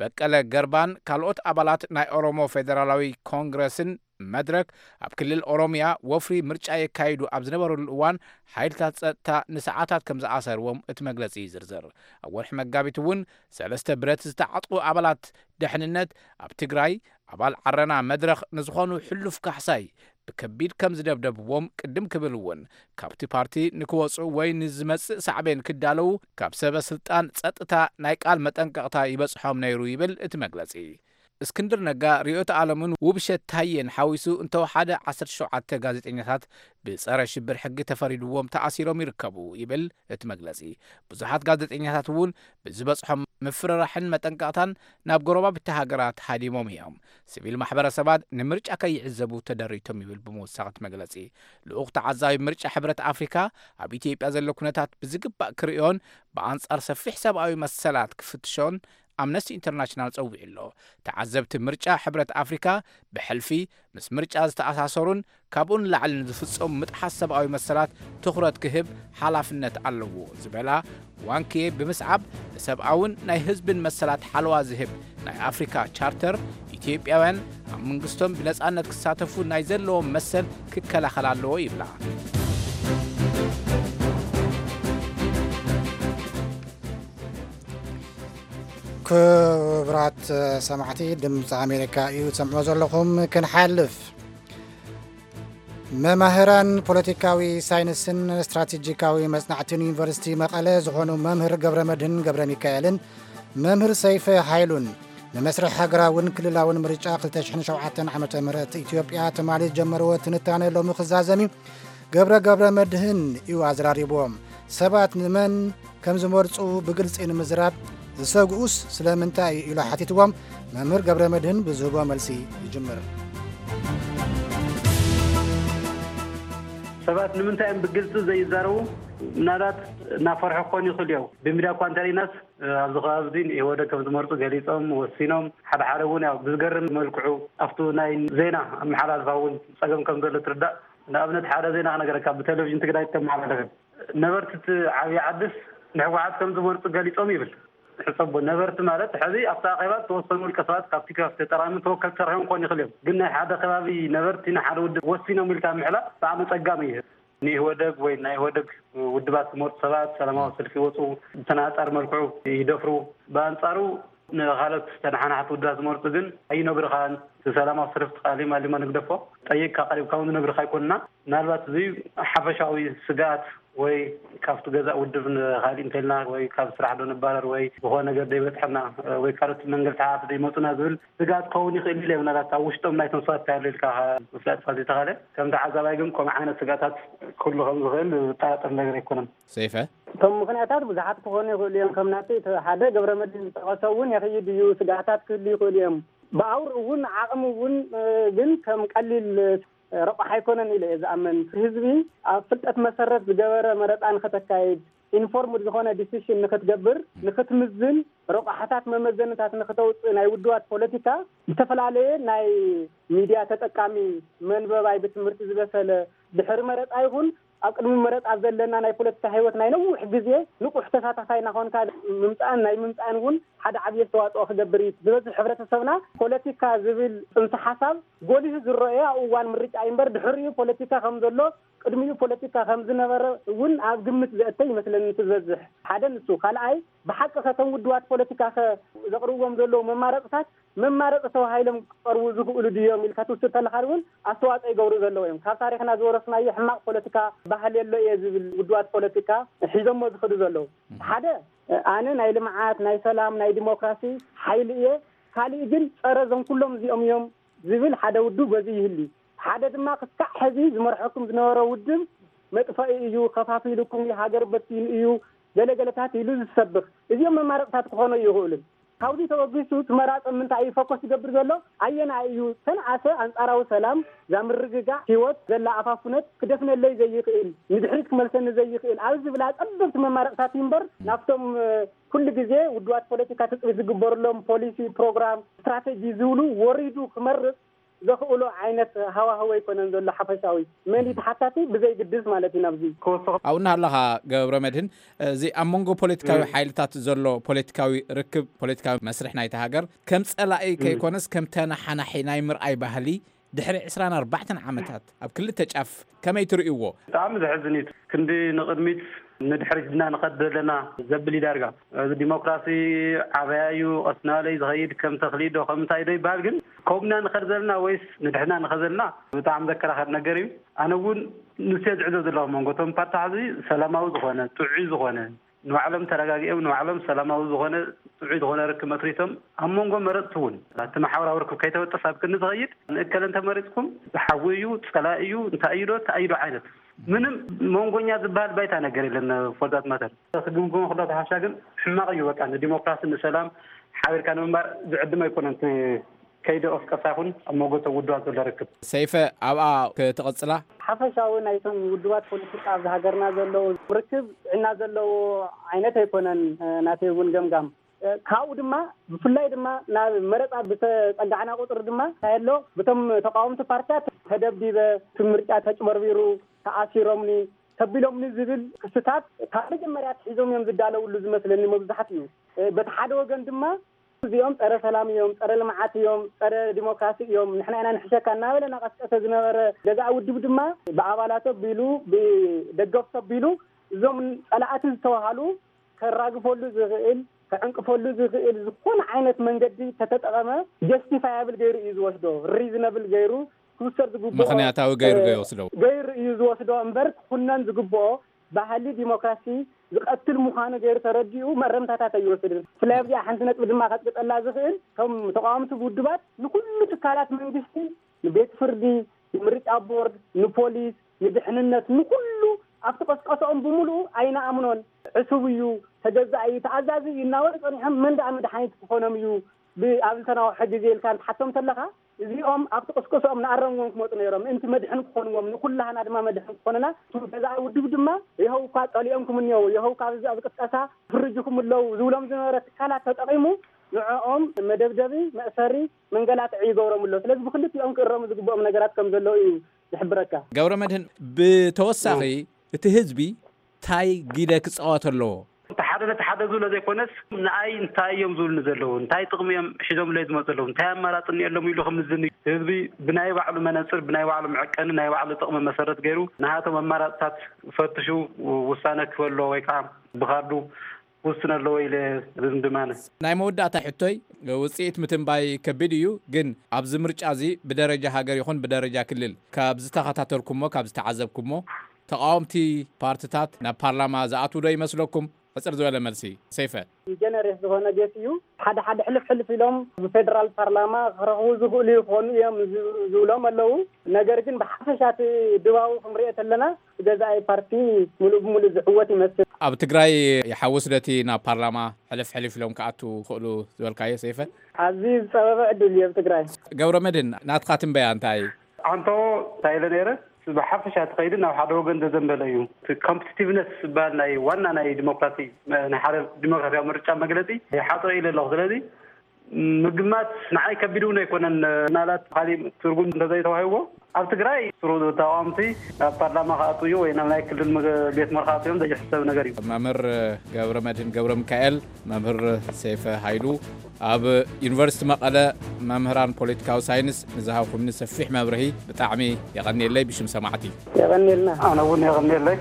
በቀለ ገርባን ካልኦት ኣባላት ናይ ኦሮሞ ፌደራላዊ ኮንግረስን መድረክ ኣብ ክልል ኦሮሚያ ወፍሪ ምርጫ የካይዱ ኣብ ዝነበሩሉ እዋን፣ ሓይልታት ጸጥታ ንሰዓታት ከም ዝኣሰርዎም እቲ መግለጺ ይዝርዝር። ኣብ ወርሒ መጋቢት እውን ሰለስተ ብረት ዝተዓጥቁ ኣባላት ደሕንነት ኣብ ትግራይ፣ ኣባል ዓረና መድረኽ ንዝኾኑ ሕሉፍ ካሕሳይ ብከቢድ ከም ዝደብደብዎም፣ ቅድም ክብል እውን ካብቲ ፓርቲ ንክወፁ ወይ ንዝመፅእ ሳዕቤን ክዳለዉ ካብ ሰበ ስልጣን ጸጥታ ናይ ቃል መጠንቀቕታ ይበጽሖም ነይሩ ይብል እቲ መግለጺ። እስክንድር ነጋ፣ ርዕዮት ዓለምን ውብሸት ታየን ሓዊሱ እንተወሓደ ዓሰርተ ሸውዓተ ጋዜጠኛታት ብጸረ ሽብር ሕጊ ተፈሪድዎም ተኣሲሮም ይርከቡ ይብል እቲ መግለጺ። ብዙሓት ጋዜጠኛታት እውን ብዝበጽሖም ምፍርራሕን መጠንቀቕታን ናብ ጎረባብቲ ሃገራት ሃዲሞም እዮም። ሲቪል ማሕበረሰባት ንምርጫ ከይዕዘቡ ተደሪቶም ይብል ብምውሳኽ እቲ መግለጺ። ልኡኽ ተዓዛቢ ምርጫ ሕብረት ኣፍሪካ ኣብ ኢትዮጵያ ዘሎ ኩነታት ብዝግባእ ክርእዮን ብኣንጻር ሰፊሕ ሰብኣዊ መሰላት ክፍትሾን ኣምነስቲ ኢንተርናሽናል ጸዊዑ ኣሎ። ተዓዘብቲ ምርጫ ሕብረት ኣፍሪካ ብሕልፊ ምስ ምርጫ ዝተኣሳሰሩን ካብኡ ንላዕሊ ንዝፍጸሙ ምጥሓስ ሰብኣዊ መሰላት ትኹረት ክህብ ሓላፍነት ኣለዎ ዝበላ ዋንኬ ብምስዓብ፣ ንሰብኣውን ናይ ህዝብን መሰላት ሓለዋ ዝህብ ናይ ኣፍሪካ ቻርተር፣ ኢትዮጵያውያን ኣብ መንግስቶም ብነጻነት ክሳተፉ ናይ ዘለዎም መሰል ክከላኸል ኣለዎ ይብላ። ክቡራት ሰማዕቲ፣ ድምፂ ኣሜሪካ እዩ ትሰምዑ ዘለኹም። ክንሓልፍ፣ መማህራን ፖለቲካዊ ሳይንስን ስትራቴጂካዊ መጽናዕትን ዩኒቨርሲቲ መቐለ ዝኾኑ መምህር ገብረ መድህን ገብረ ሚካኤልን መምህር ሰይፈ ሃይሉን ንመስርሕ ሃገራውን ክልላውን ምርጫ ክልተ ሽሕን ሸውዓተን ዓመተ ምህረት ኢትዮጵያ ትማሊ ዝጀመርዎ ትንታነ ሎሚ ክዛዘም እዩ። ገብረ ገብረ መድህን እዩ ኣዘራሪብዎም። ሰባት ንመን ከም ዝመርጹ ብግልጺ ንምዝራብ ዝሰግኡስ ስለምንታይ እዩ ኢሉ ሓቲትዎም። መምህር ገብረ መድህን ብዝህቦ መልሲ ይጅምር። ሰባት ንምንታይ እዮም ብግልጺ ዘይዛረቡ? ምናልባት እናፈርሑ ክኾኑ ይኽእሉ እዮም። ብሚድያ እኳ እንተርኢናስ፣ ኣብዚ ከባቢ እዚ ንኢህወደግ ከም ዝመርጹ ገሊጾም፣ ወሲኖም፣ ሓደ ሓደ እውን ያው ብዝገርም መልክዑ ኣብቱ ናይ ዜና ኣመሓላልፋ እውን ጸገም ከም ዘሎ ትርዳእ። ንኣብነት ሓደ ዜና ክነገረካ፣ ብቴሌቪዥን ትግራይ እተመሓላለፈ፣ ነበርቲ እቲ ዓብዪ ዓድስ ንህወሓት ከም ዝመርጹ ገሊጾም ይብል። ሕሰቦ፣ ነበርቲ ማለት ሕዚ ኣብቲ ኣኼባ ዝተወሰኑ ውልቀ ሰባት ካብቲ ካብቲ ተጠራሚ ተወከልቲ ተረኺቦም ክኾኑ ይኽእሉ እዮም። ግን ናይ ሓደ ከባቢ ነበርቲ ንሓደ ውድብ ወሲኖም ኢልካ ምሕላፍ ብጣዕሚ ጸጋሚ እዩ። ንኢህወደግ ወይ ናይ ኢህወደግ ውድባት ዝመርጹ ሰባት ሰላማዊ ሰልፊ ይወጹ፣ ብተናጻሪ መልክዑ ይደፍሩ። ብኣንጻሩ ንኻልኦት ተነሓናሕቲ ውድባት ዝመርጹ ግን ኣይነግሩኻን። እቲ ሰላማዊ ሰልፊ ተቓሊማ ሊማ ንግደፎ ጠይቅካ ቀሪብካ እውን ዝነግሩኻ ኣይኮንና። ምናልባት እዚ ሓፈሻዊ ስግኣት ወይ ካብቲ ገዛእ ውድብ ንኻሊእ እንተልና ወይ ካብ ስራሕ ዶ ንባረር ወይ ዝኾነ ነገር ደይበጽሐና ወይ ካልኦት መንገድታት ደይመጹና ዝብል ስግኣት ክኸውን ይኽእል ኢለ። ምናልባት ኣብ ውሽጦም ናይቶም ሰባት እንታይ ኣሎ ኢልካ ምፍላጥ ፋ ዘይተኻለ፣ ከም ተዓዛባይ ግን ከምኡ ዓይነት ስግኣታት ክህሉ ከም ዝኽእል ዝጠራጠር ነገር ኣይኮነን። ሰይፈ? እቶም ምኽንያታት ብዙሓት ክኾኑ ይኽእሉ እዮም። ከም ናተይ እቲ ሓደ ገብረ መድህን ዝጠቐሶ እውን የኽይድ እዩ። ስግኣታት ክህሉ ይኽእሉ እዮም። ብኣውር እውን ዓቕሚ እውን፣ እ፣ ግን ከም ቀሊል፣ እ፣ ረቋሕ ኣይኮነን ኢለ እየ ዝኣምን። ህዝቢ ኣብ ፍልጠት መሰረት ዝገበረ መረፃ ንክተካይድ፣ ኢንፎርምድ ዝኾነ ዲሲሽን ንክትገብር፣ ንክትምዝን፣ ረቋሕታት መመዘንታት ንክተውፅእ ናይ ውድባት ፖለቲካ ዝተፈላለየ ናይ ሚድያ ተጠቃሚ፣ መንበባይ፣ ብትምህርቲ ዝበሰለ፣ ድሕሪ መረፃ ይኹን ኣብ ቅድሚ መረፃ ዘለና ናይ ፖለቲካ ህይወት ናይ ነዊሕ ግዜ ንቑሕ ተሳታፋይ እናኾንካ ምምፃእን ናይ ምምፃእን እውን ሓደ ዓብዪ ኣስተዋፅኦ ክገብር እዩ። ዝበዝሕ ሕብረተሰብና ፖለቲካ ዝብል ፅንሰ ሓሳብ ጎሊሁ ዝረአዮ ኣብ እዋን ምርጫ እዩ እምበር ድሕሪኡ ፖለቲካ ከም ዘሎ ቅድሚኡ ፖለቲካ ከም ዝነበረ እውን ኣብ ግምት ዘእተ ይመስለኒ እቲ ዝበዝሕ። ሓደ ንሱ። ካልኣይ ብሓቂ ከ እቶም ውድባት ፖለቲካ ከ ዘቕርብዎም ዘለዉ መማረፅታት መማረፂ ተባሂሎም ክቐርቡ ዝኽእሉ ድዮም ኢልካ ትውስድ ተለኻ እውን ኣስተዋፅኦ ይገብሩ ዘለዉ እዮም። ካብ ታሪኽና ዝወረስናዮ ሕማቕ ፖለቲካ ባህሊ ኣሎ እየ ዝብል ውድባት ፖለቲካ ሒዞሞ ዝኽዱ ዘለዉ። ሓደ ኣነ ናይ ልምዓት፣ ናይ ሰላም፣ ናይ ዲሞክራሲ ሓይሊ እየ፣ ካሊእ ግን ፀረ እዞም ኩሎም እዚኦም እዮም ዝብል ሓደ ውድብ በዚ ይህሊ። ሓደ ድማ ክሳዕ ሕዚ ዝመርሐኩም ዝነበረ ውድብ መጥፈኢ እዩ፣ ከፋፊሉኩም እዩ፣ ሃገር በቲኑ እዩ፣ ገለገለታት ኢሉ ዝሰብኽ። እዚኦም መማረፅታት ክኾኑ ይኽእሉን። ካብዚ ተበጊሱ እቲ መራፂ ምንታይ እዩ ፎከስ ዝገብር ዘሎ? ኣየናይ እዩ ተንኣሰ ኣንፃራዊ ሰላም፣ ዛ ምርግጋዕ ህይወት ዘላ ኣፋፉነት ክደፍነለይ ዘይኽእል፣ ንድሕሪት ክመልሰኒ ዘይኽእል ኣብ ዝብላ ፀበብቲ መማረፅታት እዩ እምበር ናብቶም፣ እ፣ ኩሉ ግዜ ውድባት ፖለቲካ ትፅቢት ዝግበርሎም ፖሊሲ፣ ፕሮግራም፣ ስትራቴጂ ዝብሉ ወሪዱ ክመርፅ ዘኽእሎ ዓይነት ሃዋህው ኣይኮነን ዘሎ ሓፈሻዊ። መን እዩ ተሓታቲ ብዘይግድስ ማለት እዩ ናብዚ። ክወስኽ ኣብኡ እናሃለኻ ገብረ መድህን፣ እዚ ኣብ መንጎ ፖለቲካዊ ሓይልታት ዘሎ ፖለቲካዊ ርክብ፣ ፖለቲካዊ መስርሕ ናይቲ ሃገር ከም ጸላኢ ከይኮነስ ከም ተናሓናሒ ናይ ምርኣይ ባህሊ ድሕሪ ዕስራን ኣርባዕተን ዓመታት ኣብ ክልተ ጫፍ ከመይ ትርእይዎ? ብጣዕሚ ዘሕዝን እዩ። ክንዲ ንቕድሚት ንድሕሪት ድና ንኸድ ዘለና ዘብል እዩ ዳርጋ። እዚ ዲሞክራሲ ዓበያ እዩ፣ ቀስ እናበለ እዩ ዝኸይድ፣ ከም ተኽሊ ዶ ከም እንታይ ዶ ይበሃል፣ ግን ከምኡ ኢና ንኸድ ዘለና ወይስ ንድሕና ንኸድ ዘለና ብጣዕሚ ዘከራኸር ነገር እዩ። ኣነ እውን ንሱ እየ ዝዕዘብ ዘለኹ፣ መንጎ እቶም ፓርትታት እዚ ሰላማዊ ዝኾነ፣ ጥዑይ ዝኾነ፣ ንባዕሎም ተረጋጊኦም ንባዕሎም ሰላማዊ ዝኾነ ጥዑይ ዝኾነ ርክብ መስሪቶም ኣብ መንጎ መረፅቲ እውን እቲ ማሕበራዊ ርክብ ከይተበጠስ ኣብ ክንዲ ዝኸይድ ንእከለ እንተመሪፅኩም ሓዊ እዩ ፀላኢ እዩ እንታይ እዩ ዶ እንታይ እዩ ዶ ዓይነት ምንም መንጎኛ ዝበሃል ባይታ ነገር የለን። ፎርዛት ማተር ክግምግሞ ክሎ ተሓሻ ግን ሕማቕ እዩ። በቃ ንዲሞክራሲ ንሰላም ሓቢርካ ንምንባር ዝዕድም ኣይኮነን። ከይዲ ቀስቀሳ ይኹን ኣብ መንጎ እቶም ውድባት ዘሎ ርክብ። ሰይፈ ኣብኣ ክትቕጽላ። ሓፈሻዊ ናይቶም ውድባት ፖለቲካ ኣብዚ ሃገርና ዘለዉ ርክብ ጥዕና ዘለዎ ዓይነት ኣይኮነን። ናተይ እውን ገምጋም ካብኡ ድማ ብፍላይ ድማ ናብ መረፃ ብተፀጋዕና ቁፅሪ ድማ እንታይ ኣሎ ብቶም ተቃወምቲ ፓርትታት ተደብዲበ እቲ ምርጫ ተጭበርቢሩ ተኣሲሮምኒ ተቢሎምኒ ዝብል ክስታት ካብ መጀመርያ ኣትሒዞም እዮም ዝዳለውሉ ዝመስለኒ መብዛሕትኡ። በቲ ሓደ ወገን ድማ እዚኦም ፀረ ሰላም እዮም፣ ፀረ ልምዓት እዮም፣ ፀረ ዲሞክራሲ እዮም፣ ንሕና ኢና ንሕሸካ እናበለ እናቐስቀሰ ዝነበረ ገዛእ ውድብ ድማ ብኣባላቱ ኣቢሉ ብደገፍቱ ኣቢሉ እዞም ፀላእቲ ዝተባሃሉ ከራግፈሉ ዝኽእል ከዕንቅፈሉ ዝኽእል ዝኾነ ዓይነት መንገዲ ተተጠቐመ ጀስቲፋያብል ገይሩ እዩ ዝወስዶ። ሪዝነብል ገይሩ ክውሰድ ዝግብኦ ምኽንያታዊ ገይሩ ገይወስዶ። ገይሩ እዩ ዝወስዶ እምበር ክኹነን ዝግብኦ ባህሊ ዲሞክራሲ ዝቐትል ምዃኑ ገይሩ ተረዲኡ መእረምታታት ኣይወስድን። ብፍላይ ኣብዚኣ ሓንቲ ነጥቢ ድማ ከጥቅጠላ ዝኽእል እቶም ተቃወምቲ ውድባት ንኩሉ ትካላት መንግስቲ ንቤት ፍርዲ፣ ንምርጫ ቦርድ፣ ንፖሊስ፣ ንድሕንነት፣ ንኩሉ ኣብቲ ቀስቀስኦም ብምሉኡ ኣይንኣምኖን፣ ዕሱብ እዩ፣ ተገዛኢ እዩ፣ ተኣዛዚ እዩ እናበሉ ጸኒሖም መን ደኣ መድሓኒት ክኾኖም እዩ ብኣብ ዝተናውሐ ግዜ ኢልካ እንትሓቶም ተለኻ እዚኦም ኣብቲ ቅስቀስኦም ንኣረምዎም ክመፁ ነይሮም ምእንቲ መድሕን ክኾንዎም ንኩላህና ድማ መድሕን ክኾንና እቱ ገዛኢ ውድብ ድማ የሆው እኳ ጸሊኦምኩም እኒሆው የሆው ካብ ኣብዚ ኣብ ቅስቀሳ ፍርጅኩም ኣለዉ ዝብሎም ዝነበረ ትካላት ተጠቒሙ ንዕኦም መደብደቢ መእሰሪ መንገላትዒ ይገብሮም ኣሎ። ስለዚ ብክልቲኦም ክእረሙ ዝግብኦም ነገራት ከም ዘለዉ እዩ ዝሕብረካ። ገብረ መድህን ብተወሳኺ እቲ ህዝቢ ታይ ጊደ ክፃወት ኣለዎ? እቲ ሓደ ነቲ ሓደ ዝብሎ ዘይኮነስ ንኣይ እንታይ እዮም ዝብሉኒ ዘለዉ፣ እንታይ ጥቕሚ እዮም ሒዞምለይ ዝመፁ ኣለዉ፣ እንታይ ኣማራፂ እኒኦሎም ኢሉ ክምዝን እዩ። ህዝቢ ብናይ ባዕሉ መነፅር፣ ብናይ ባዕሉ መዐቀኒ፣ ናይ ባዕሉ ጥቕሚ መሰረት ገይሩ ንሃቶም ኣማራፅታት ፈትሹ ውሳነ ክህበሎ ወይ ከዓ ብካርዱ ክውስን ኣለዎ ኢለ ዝምድም ኣነ። ናይ መወዳእታ ሕቶይ፣ ውፅኢት ምትንባይ ከቢድ እዩ፣ ግን ኣብዚ ምርጫ እዚ ብደረጃ ሃገር ይኹን ብደረጃ ክልል ካብ ዝተኸታተልኩሞ ካብ ዝተዓዘብኩሞ ተቃወምቲ ፓርትታት ናብ ፓርላማ ዝኣትዉ ዶ ይመስለኩም? ሕፅር ዝበለ መልሲ። ሰይፈ። ጀነሬት ዝኾነ ጌስ እዩ። ሓደ ሓደ ሕልፍ ሕልፍ ኢሎም ብፌደራል ፓርላማ ክረኽቡ ዝኽእሉ ይኾኑ እዮም ዝብሎም ኣለዉ። ነገር ግን ብሓፈሻ እቲ ድባቡ ክንሪኦ ተለና ገዛኢ ፓርቲ ሙሉእ ብሙሉእ ዝዕወት ይመስል። ኣብ ትግራይ ይሓውስ ዶ እቲ ናብ ፓርላማ ሕልፍ ሕልፍ ኢሎም ክኣቱ ክኽእሉ ዝበልካዮ ሰይፈ? ኣዝዩ ዝፀበበ ዕድል እዩ ኣብ ትግራይ። ገብረ መድህን ናትካ ትንበያ እንታይ እዩ? ኣንቶ እንታይ ኢለ ነይረ ብሓፈሻ እቲ ከይዲ ናብ ሓደ ወገን ዘዘንበለ እዩ። እቲ ኮምፒቲቲቭነስ ዝበሃል ናይ ዋና ናይ ዲሞክራሲ ናይ ሓደ ዲሞክራሲያዊ ምርጫ መግለፂ ይሓፅሮ ኢለ ኣለኹ። ስለዚ ምግማት ንዓይ ከቢድ እውን ኣይኮነን። ምናልባት ካሊእ ትርጉም እንተዘይተዋሂብዎ ኣብ ትግራይ ስሩ ተቃወምቲ ናብ ፓርላማ ክኣትዉ እዩ ወይ ናብ ናይ ክልል ቤት ምኽሪ ክኣትዉ እዮም ዘይሕሰብ ነገር እዩ። መምህር ገብረ መድህን ገብረ ሚካኤል፣ መምህር ሰይፈ ሃይሉ ኣብ ዩኒቨርሲቲ መቐለ መምህራን ፖለቲካዊ ሳይንስ ንዝሃብኩምኒ ሰፊሕ መብርሂ ብጣዕሚ የቐንየለይ ብሽም ሰማዕቲ። የቐንየልና። ኣነ እውን የቐንየለይ።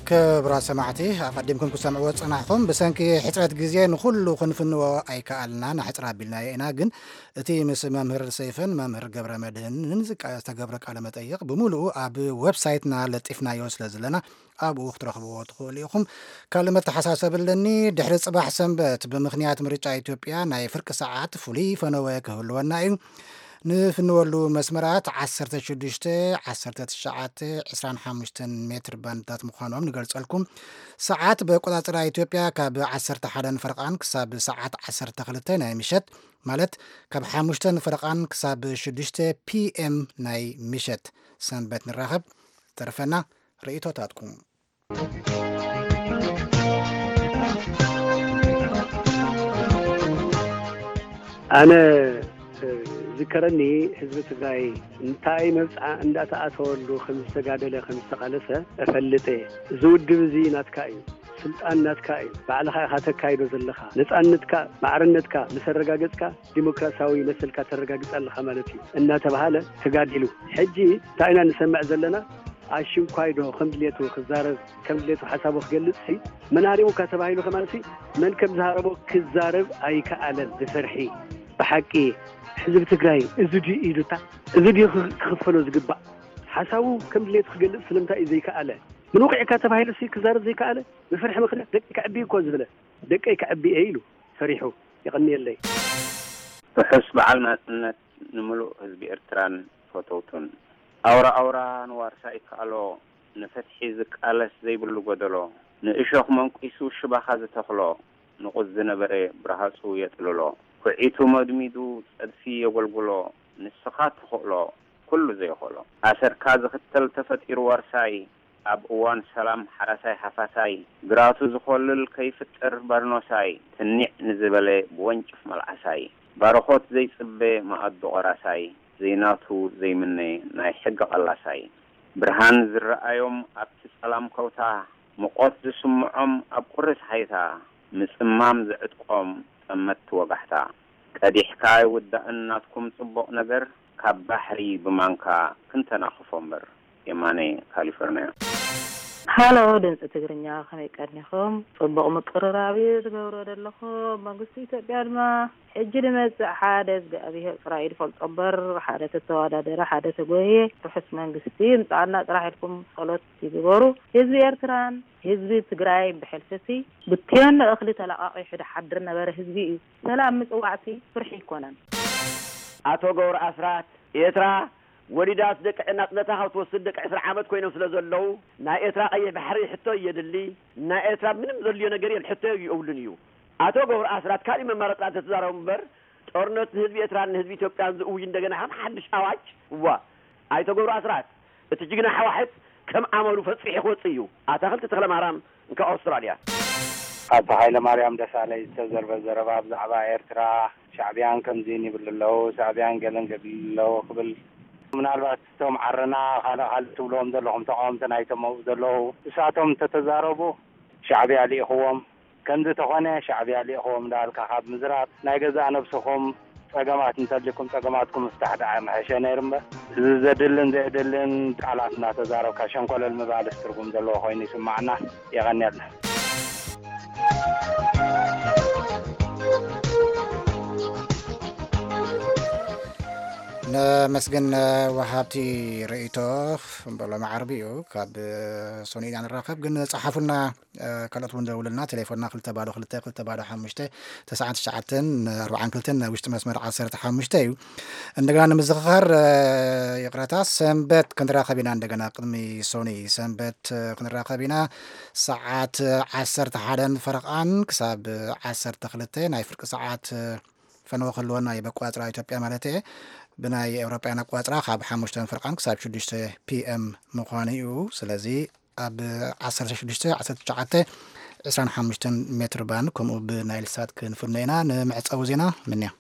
ክቡራት ሰማዕቲ ኣቐዲምኩም ክሰምዕዎ ዝጸናሕኹም ብሰንኪ ሕጽረት ግዜ ንኹሉ ክንፍንዎ ኣይከኣልናን ኣሕጽር ኣቢልናዮ ኢና። ግን እቲ ምስ መምህር ሰይፈን መምህር ገብረ መድህንን ዝተገብረ ቃለ መጠይቕ ብምሉኡ ኣብ ዌብሳይትና ለጢፍናዮ ስለ ዘለና ኣብኡ ክትረኽብዎ ትኽእሉ ኢኹም። ካልእ መተሓሳሰቢ ኣለኒ። ድሕሪ ጽባሕ ሰንበት ብምኽንያት ምርጫ ኢትዮጵያ ናይ ፍርቂ ሰዓት ፍሉይ ፈነወ ክህልወና እዩ። ንፍንወሉ መስመራት ዓሰርተ ሽዱሽተ፣ ዓሰርተ ትሽዓተ፣ ዕስራን ሓሙሽተን ሜትር ባንድታት ምዃኖም ንገልጸልኩም። ሰዓት ብኣቆጻጽራ ኢትዮጵያ ካብ ዓሰርተ ሓደን ፈረቓን ክሳብ ሰዓት ዓሰርተ ክልተ ናይ ምሸት፣ ማለት ካብ ሓሙሽተን ፈረቓን ክሳብ ሽዱሽተ ፒ ኤም ናይ ምሸት። ሰንበት ንራኸብ። ዝተረፈና ርእይቶታትኩም። ኣነ ዝከረኒ ህዝቢ ትግራይ እንታይ መብፅዓ እንዳተኣተወሉ ከም ዝተጋደለ ከም ዝተቃለሰ እፈልጥ እየ። እዚ ውድብ እዚ ናትካ እዩ፣ ስልጣን ናትካ እዩ፣ ባዕልኻ ኢኻ ተካይዶ ዘለኻ፣ ነፃነትካ ማዕርነትካ ምስ ኣረጋገፅካ ዲሞክራሲያዊ መሰልካ ተረጋግፅ ኣለኻ ማለት እዩ እናተባሃለ ተጋዲሉ። ሕጂ እንታይ ኢና ንሰምዕ ዘለና? ኣሽንኳይ ዶ ከም ድሌቱ ክዛረብ፣ ከም ድሌቱ ሓሳቡ ክገልጽ ሲ መን ሃሪሙካ ተባሂሉ ከማን ሲ መን ከም ዝሃረሞ ክዛረብ ኣይከኣለን። ብፍርሒ ብሓቂ ህዝቢ ትግራይ እዚ ድዩ ኢዱታ እዚ ድዩ ክኽፈሎ ዝግባእ ሓሳቡ ከም ድሌቱ ክገልጽ ስለምንታይ እዩ ዘይከኣለ? ምንውቂዕካ ተባሂሉ ሲ ክዛረብ ዘይከኣለ ብፍርሒ ምኽንያት ደቂ ከዕቢ እኮ ዝብለ ደቀይ ከዕቢ እየ ኢሉ ፈሪሑ። የቐንየለይ። ርሑስ በዓል ናጽነት ንምሉእ ህዝቢ ኤርትራን ፈተውቱን። ኣውራ ኣውራ ንዋርሳ ይከኣሎ፣ ንፍትሒ ዝቃለስ ዘይብሉ ጎደሎ፣ ንእሾኽ መንቂሱ ሽባኻ ዝተኽሎ፣ ንቑጽ ዝነበረ ብርሃጹ የጥልሎ፣ ኩዒቱ መድሚዱ ጸድፊ የጎልጉሎ፣ ንስኻ ትኽእሎ ኩሉ ዘይኽእሎ። ኣሰርካ ዝኽተል ተፈጢሩ ዋርሳይ፣ ኣብ እዋን ሰላም ሓራሳይ ሃፋሳይ፣ ግራቱ ዝኾልል ከይፍጥር በርኖሳይ፣ ትኒዕ ንዝበለ ብወንጭፍ መልዓሳይ፣ ባርኾት ዘይጽበ መኣዱ ቐራሳይ፣ ዘይናቱ ዘይምነ ናይ ሕጊ ቐላሳይ፣ ብርሃን ዝረኣዮም ኣብቲ ጸላም ከውታ፣ ምቖት ዝስምዖም ኣብ ቁሪ ጸሓይታ፣ ምጽማም ዝዕጥቆም ጠመትቲ ወጋሕታ፣ ቀዲሕካ ኣይውዳእን ናትኩም ጽቡቕ ነገር፣ ካብ ባሕሪ ብማንካ ክንተናኽፎ እምበር። የማነ፣ ካሊፎርንያ። ሃሎ ድምፂ ትግርኛ፣ ከመይ ቀኒኹም? ፅቡቕ ምቅርራብ እዩ ትገብሮ ዘለኹም። መንግስቲ ኢትዮጵያ ድማ ሕጂ ዝመፅእ ሓደ እግዚኣብሄር ጥራይ እዩ ዝፈልጦ እምበር ሓደ ተተዋዳደረ ሓደ ተጎየ ርሑስ መንግስቲ ይምፃኣልና ጥራሕ ኢልኩም ጸሎት ይግበሩ። ህዝቢ ኤርትራን ህዝቢ ትግራይን ብሕልፊ ሲ ብትዮን ንእኽሊ ተለቓቒሑ ዝሓድር ነበረ ህዝቢ እዩ። ሰላም ምፅዋዕሲ ፍርሒ ኣይኮነን። ኣቶ ገብሩ ኣስራት፣ ኤርትራ ወሊዳስ ደቂ ናጽነታ ካብ ትወስድ ደቂ ዕስራ ዓመት ኮይኖም ስለ ዘለዉ፣ ናይ ኤርትራ ቀይሕ ባሕሪ ሕቶ የድሊ፣ ናይ ኤርትራ ምንም ዘድልዮ ነገር የል ሕቶ የብሉን እዩ። ኣቶ ገብሩ ኣስራት ካሊእ መማረጺ እንተተዛረቡ እምበር፣ ጦርነት ንህዝቢ ኤርትራን ንህዝቢ ኢትዮጵያን ዝእውጅ እንደገና ከም ሓድሽ ኣዋጅ፣ እዋ፣ ኣይተ ገብሩ ኣስራት፣ እቲ ጅግና ሕዋሕት ከም ኣመሉ ፈጺሑ ክወጽእ እዩ። ኣታኽልቲ ተኽለማርያም፣ እንካ ኣውስትራልያ። ኣቶ ሃይለማርያም ደሳለይ ዝተዘርበ ዘረባ ብዛዕባ ኤርትራ፣ ሻዕብያን ከምዚን ይብሉ ኣለዉ፣ ሻዕብያን ገለን ገድሊ ኣለዉ ክብል፣ ምናልባት እቶም ዓረና ካልእ ካልእ ትብልዎም ዘለኹም ተቓወምቲ ናይቶም ኣብኡ ዘለዉ፣ ንሳቶም እንተተዛረቡ ሻዕብያ ልኢኽዎም፣ ከምዚ ተኾነ ሻዕብያ ልኢኽዎም እንዳበልካ ካብ ምዝራብ ናይ ገዛእ ነብስኹም ጸገማት እንተልይኩም ጸገማትኩም ምፍታሕ ደኣ ምሐሸ ነይሩ እምበር፣ እዚ ዘድልን ዘየድልን ቃላት እናተዛረብካ ሸንኮለል ምባልስ ትርጉም ዘለዎ ኮይኑ ይስማዓና። የቐንየልና። ነመስግን ወሃብቲ ርእይቶ። በሎ መዓርቢ እዩ። ካብ ሶኒ ኢና ንራኸብ፣ ግን ጸሓፉልና። ካልኦት እውን ደውሉልና። ቴሌፎንና ክልተ ባዶ ክልተ ክልተ ባዶ ሓሙሽተ ተስዓን ትሽዓተን ኣርባዓን ክልተን ናይ ውሽጢ መስመር ዓሰርተ ሓሙሽተ እዩ። እንደገና ንምዝኽኻር፣ ይቕረታ፣ ሰንበት ክንራኸብ ኢና። እንደገና ቅድሚ ሶኒ ሰንበት ክንራኸብ ኢና። ሰዓት ዓሰርተ ሓደን ፈረቓን ክሳብ ዓሰርተ ክልተ ናይ ፍርቂ ሰዓት ፈነወ ክህልወና እዩ። በቆጻጽራ ኢትዮጵያ ማለት እየ። ብናይ ኤውሮጳውያን ኣቆጻጽራ ካብ ሓሙሽተ ፈረቓን ክሳብ ሽዱሽተ ፒ ኤም ምዃኑ እዩ። ስለዚ ኣብ ዓሰርተ ሽዱሽተ፣ ዓሰርተ ትሽዓተ፣ ዕስራን ሓሙሽተን ሜትር ባንድ ከምኡ ብናይል ሳት ክንፍኖ ኢና። ንመዕጸዊ ዜና ምንያ።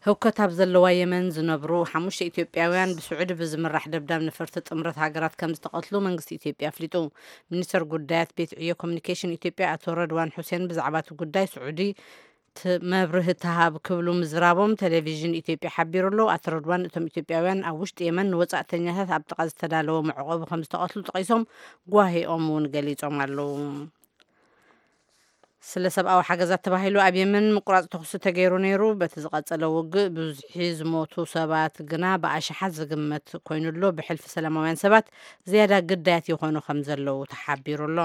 ህውከት ኣብ ዘለዋ የመን ዝነብሩ ሓሙሽተ ኢትዮጵያውያን ብስዑዲ ብዝምራሕ ደብዳብ ነፈርቲ ጥምረት ሃገራት ከም ዝተቐትሉ መንግስቲ ኢትዮጵያ ኣፍሊጡ። ሚኒስተር ጉዳያት ቤት ዕዮ ኮሚኒኬሽን ኢትዮጵያ ኣቶ ረድዋን ሑሴን ብዛዕባ እቲ ጉዳይ ስዑዲ ት- መብርሂ ትሃብ ክብሉ ምዝራቦም ቴሌቪዥን ኢትዮጵያ ሓቢሩ ኣሎ። ኣቶ ረድዋን እቶም ኢትዮጵያውያን ኣብ ውሽጢ የመን ንወጻእተኛታት ኣብ ጥቓ ዝተዳለወ መዕቆቢ ከም ዝተቐትሉ ጠቒሶም ጓሂኦም እውን ገሊጾም ኣለዉ። ስለ ሰብኣዊ ሓገዛት ተባሂሉ ኣብ የመን ምቁራጽ ተኹሲ ተገይሩ ነይሩ። በቲ ዝቐጸለ ውግእ ብብዝሒ ዝሞቱ ሰባት ግና ብኣሽሓት ዝግመት ኮይኑ ኣሎ። ብሕልፊ ሰላማውያን ሰባት ዝያዳ ግዳያት ይኾኑ ከም ዘለዉ ተሓቢሩ ኣሎ።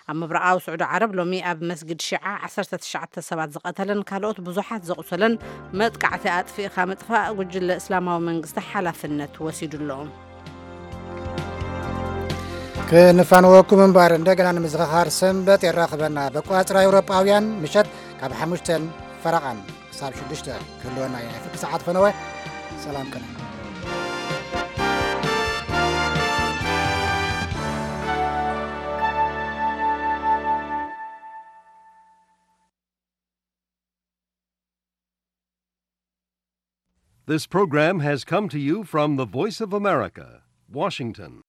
ኣብ ምብራቓዊ ስዑዲ ዓረብ ሎሚ ኣብ መስጊድ ሺዓ ዓሰርተ ትሽዓተ ሰባት ዝቐተለን ካልኦት ብዙሓት ዘቑሰለን መጥቃዕቲ ኣጥፊእኻ ምጥፋእ ጉጅለ እስላማዊ መንግስቲ ሓላፍነት ወሲዱ ኣሎ። ክንፋንወኩም እምበር እንደገና ንምዝኽኻር ሰንበት የራኽበና። በቆጻጽራ ኤውሮጳውያን ምሸት ካብ ሓሙሽተን ፈረቓን ክሳብ ሽዱሽተ ክህልወና እዩ ናይ ፍርቂ ሰዓት ፈነወ። ሰላም ቅነ። This program has come to you from the Voice of America, Washington.